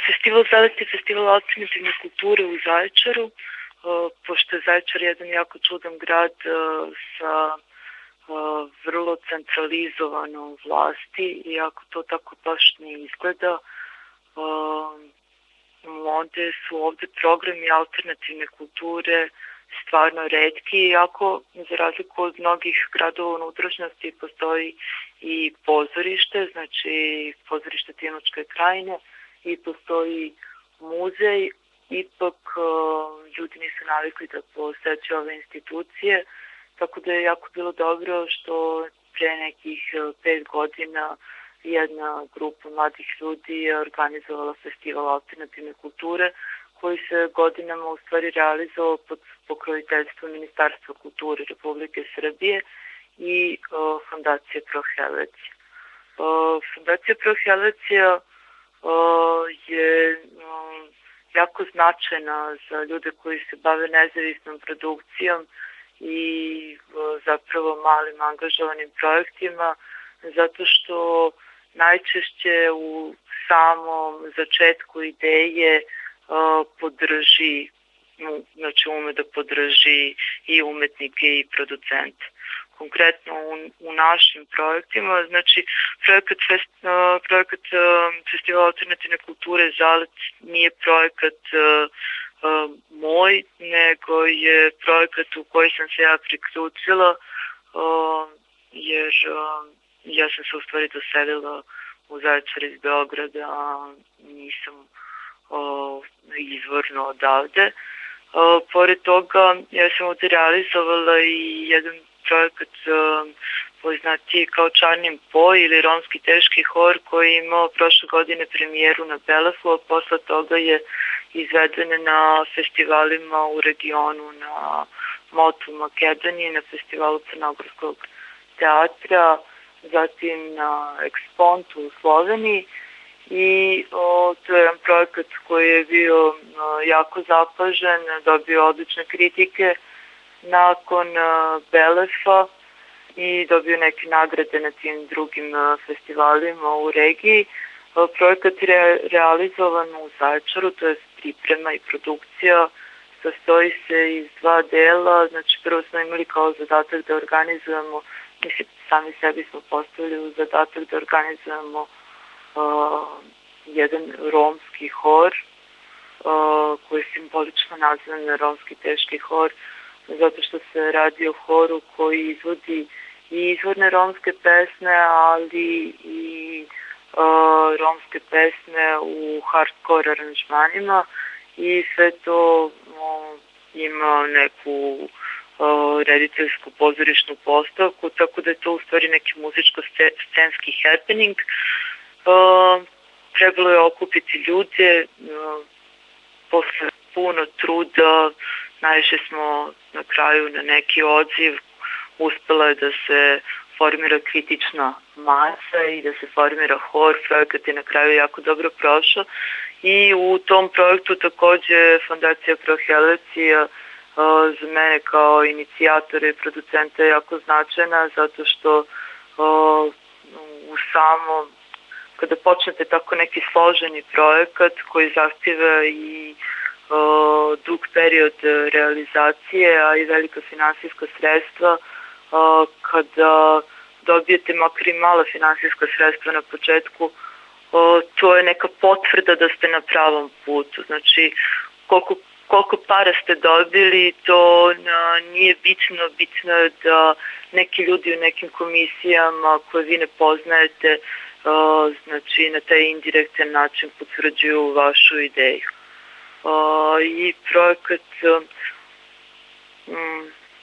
Festival Zalet je festival alternativne kulture u Zaječaru, pošto je Zaječar jedan jako čudan grad sa vrlo centralizovanom vlasti, iako to tako baš ne izgleda. Onda su ovde programi alternativne kulture stvarno retki, iako za razliku od mnogih gradova u unutrašnjosti postoji i pozorište, znači pozorište Timočke krajine, i postoji muzej. Ipak ljudi nisu navikli da posećaju ove institucije, tako da je jako bilo dobro što pre nekih 5 godina jedna grupa mladih ljudi je organizovala festival alternativne kulture, koji se godinama u stvari realizovao pod pokroviteljstvom Ministarstva kulture Republike Srbije i Fondacije Pro Helvecija. Fondacija Pro Helvecija je jako značajna za ljude koji se bave nezavisnom produkcijom i zapravo malim angažovanim projektima, zato što najčešće u samom začetku ideje podrži, znači ume da podrži i umetnike i producente. Konkretno u našim projektima, znači projekat Festivala alternativne kulture Zalet nije projekat moj, nego je projekat u koji sam se ja priključila, jer ja sam se u stvari doselila u Zaječar iz Beograda, a nisam izvorno odavde. Pored toga, ja sam ovde realizovala i jedan projekat poznatiji kao Čarnim poj ili romski teški hor, koji je imao prošle godine premijeru na Belefu, a posle toga je izveden na festivalima u regionu, na Motu Makedoniji, na festivalu Crnogorskog teatra, zatim na Ekspontu u Sloveniji. I to je jedan projekat koji je bio jako zapažen, dobio odlične kritike nakon Belefa i dobio neke nagrade na tim drugim festivalima u regiji. Projekat je realizovan u Zaječaru, to je priprema i produkcija, sastoji se iz 2 dela. Znači prvo smo imali kao zadatak da organizujemo, mislim sami sebi smo postavili u zadatak da organizujemo jedan romski hor koji je simbolično nazvan romski teški hor, zato što se radi o horu koji izvodi i izvorne romske pesme, ali i romske pesme u hardcore aranžmanima, i sve to ima neku rediteljsku pozorišnu postavku, tako da je to u stvari neki muzičko-scenski happening. Trebalo je okupiti ljude, posle puno truda naišli smo na kraju na neki odziv, uspela je da se formira kritična masa i da se formira hor. Projekat je na kraju jako dobro prošao i u tom projektu takođe Fondacija Pro Helvecija za mene kao inicijatora i producenta je jako značajna, zato što u samom kada počnete tako neki složeni projekat koji zahtjeva i dug period realizacije, a i velika finansijska sredstva, kada dobijete makar i mala finansijska sredstva na početku, to je neka potvrda da ste na pravom putu. Znači, koliko para ste dobili, to nije bitno. Bitno je da neki ljudi u nekim komisijama koje vi ne poznajete, znači na taj indirektan način potvrđuju vašu ideju. I projekat